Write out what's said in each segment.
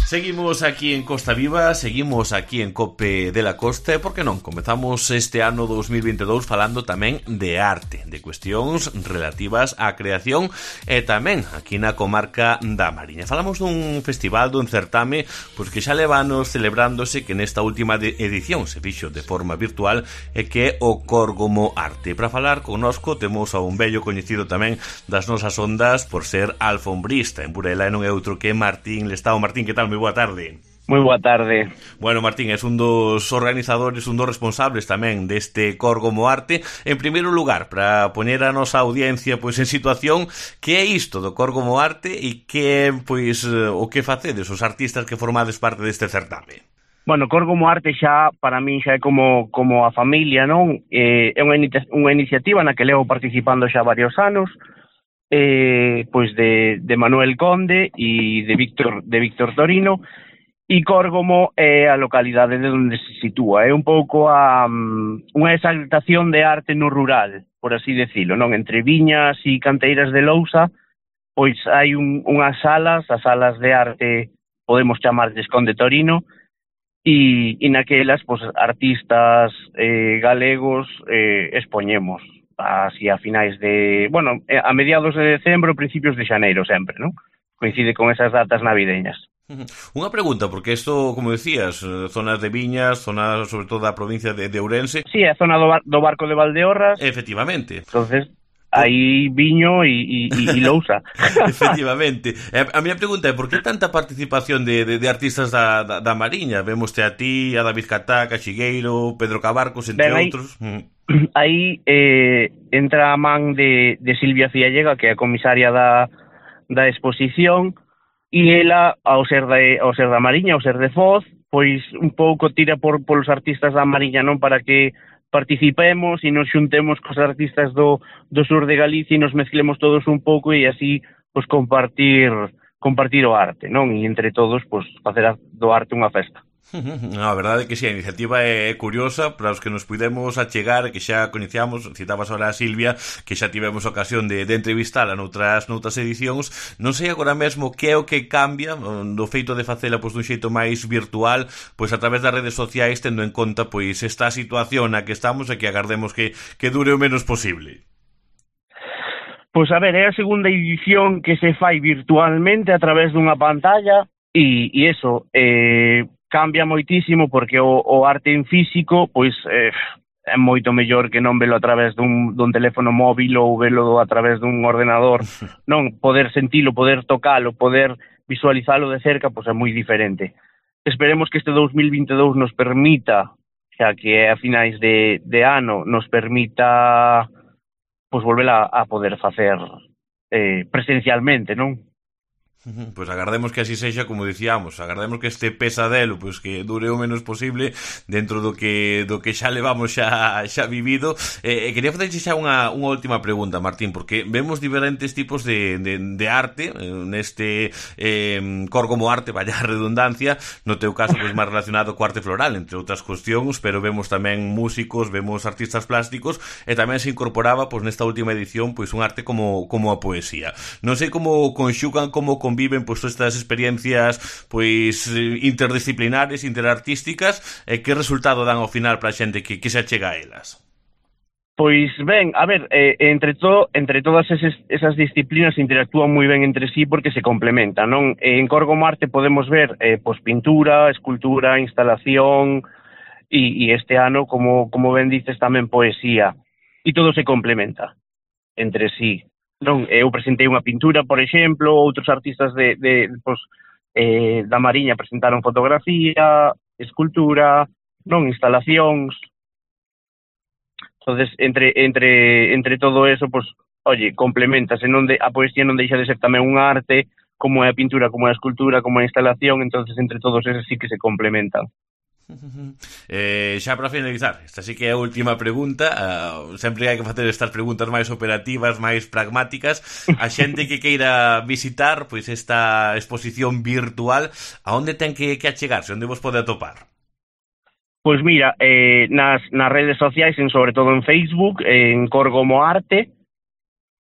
Seguimos aquí en Costa Viva, seguimos aquí en Cope de la Costa e, por que non, comezamos este ano 2022 falando tamén de arte, de cuestións relativas á creación e tamén aquí na comarca da Mariña. Falamos dun festival, dun certame, pois que xa leva anos celebrándose, que nesta última edición se fixo de forma virtual e que é o Córgomo Arte. Para falar connosco temos a un vello coñecido tamén das nosas ondas por ser alfombrista en Burela e non é outro que Martín Lestao. Martín, que tal? Moi boa tarde. Moi boa tarde. Bueno, Martín, és un dos organizadores, un dos responsables tamén deste Córgomo Arte. En primeiro lugar, para poñer a nosa audiencia pois en situación, que é isto do Córgomo Arte e que é pois o que facedes os artistas que formades parte deste certame? Bueno, Córgomo Arte xa, para min, xa é como a familia, non? É unha iniciativa na que levo participando xa varios anos, pois de Manuel Conde e de Víctor Torino, e Córgomo é a localidade de onde se sitúa. É un pouco unha exaltación de arte no rural, por así decirlo, non? Entre viñas e canteiras de lousa, pois hai unhas salas, as salas de arte, podemos chamarles Conde Torino, e naquelas, pois, artistas galegos expoñemos así a finais de, bueno, a mediados de decembro, principios de xaneiro sempre, non? Coincide con esas datas navideñas. Unha pregunta, porque isto, como decías, zonas de viñas, zonas sobre todo da provincia de Ourense. Sí, é a zona do Barco de Valdeorras. Efectivamente. Entonces, aí viño e lousa. Efectivamente. A miña pregunta é por que tanta participación de artistas da Mariña? Vémoste a ti, a David Catac, a Xigueiro, Pedro Cabarcos, entre outros. Aí entra a man de Silvia Ciallega, que é a comisaria da exposición, e ela, ao ser da Mariña, ao ser de Foz, pois un pouco tira polos artistas da Mariña, non, para que participemos e nos xuntemos cos artistas do sur de Galicia e nos mezclemos todos un pouco e así pois compartir o arte, non? E entre todos pois facer do arte unha festa. A verdade é que sí, a iniciativa é curiosa para os que nos pudemos achegar, que xa coñecíamos, citabas ahora a Silvia, que xa tivemos ocasión de entrevistala noutras edicións. Non sei agora mesmo que é o que cambia do feito de facela pois dun xeito máis virtual, pois a través das redes sociais, tendo en conta pois esta situación na que estamos e que agardemos que dure o menos posible. Pois a ver, é a segunda edición que se fai virtualmente a través dunha pantalla e eso, cambia moitísimo porque o arte en físico pois é moito mellor que non velo a través dun teléfono móvil ou velo a través dun ordenador, non? Poder sentilo, poder tocalo, poder visualizalo de cerca, pois é moi diferente. Esperemos que este 2022 nos permita, xa que é a finais de ano, nos permita pois volver a poder facer presencialmente, non? Pois agardemos que así sexa, como dicíamos, agardemos que este pesadelo pois que dure o menos posible dentro do que xa levamos xa vivido. Quería facerche xa unha última pregunta, Martín, porque vemos diferentes tipos de arte neste Córgomo Arte, vaya a redundancia, no teu caso pois máis relacionado co arte floral, entre outras cuestións, pero vemos tamén músicos, vemos artistas plásticos e tamén se incorporaba pois nesta última edición pois un arte como a poesía. Non sei como conxugan, como conviven pois estas experiencias pois interdisciplinares, interartísticas, e que resultado dan ao final para a xente que se achega a elas? Pois ben, a ver, entre todas esas disciplinas interactúan moi ben entre sí porque se complementan, non? En Córgomo Arte podemos ver pois pintura, escultura, instalación e este ano, como ben dices, tamén poesía, e todo se complementa entre sí. Non, eu presentei unha pintura, por exemplo, outros artistas da Mariña presentaron fotografía, escultura, non, instalacións. Entonces, entre todo eso, pues, oye, complementase, a poesía non deixa de ser tamén un arte, como é a pintura, como é a escultura, como é a instalación, entonces entre todos esos sí que se complementan. Xa para finalizar, esta sí que é a última pregunta. Sempre hai que facer estas preguntas máis operativas, máis pragmáticas. A xente que queira visitar pois esta exposición virtual, a onde ten que achegarse? Onde vos pode atopar? Pois mira, nas redes sociais, sobre todo en Facebook, en Córgomo Arte,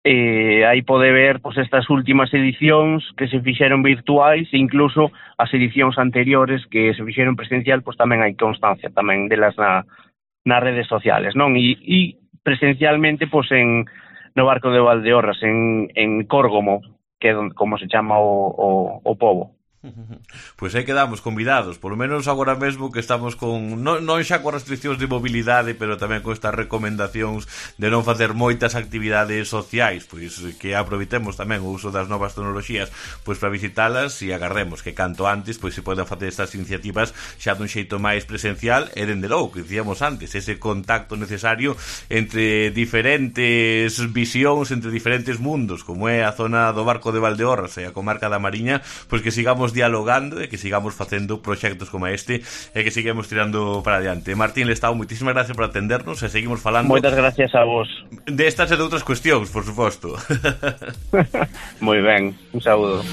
aí pode ver pois, estas últimas edicións que se fixeron virtuais e incluso as edicións anteriores que se fixeron presencial, pois tamén hai constancia tamén delas nas redes sociales, non? E presencialmente pois no barco de Valdeorras, en Córgomo, que é como se chama o pobo. Pois aí quedamos convidados, polo menos agora mesmo que estamos con non xa con restriccións de mobilidade, pero tamén con estas recomendacións de non facer moitas actividades sociais, pois que aproveitemos tamén o uso das novas tecnoloxías pois para visitalas e agardemos que canto antes pois se poden facer estas iniciativas xa dun xeito máis presencial e dende logo, que dicíamos antes, ese contacto necesario entre diferentes visións, entre diferentes mundos, como é a zona do Barco de Valdeorras e a comarca da Mariña, pois que sigamos dialogando e que sigamos facendo proxectos como este e que sigamos tirando para adiante. Martín Lestao, moitísimas gracias por atendernos e seguimos falando. Moitas gracias a vos. Destas e de outras cuestións, por suposto. Moi ben, un saúdo.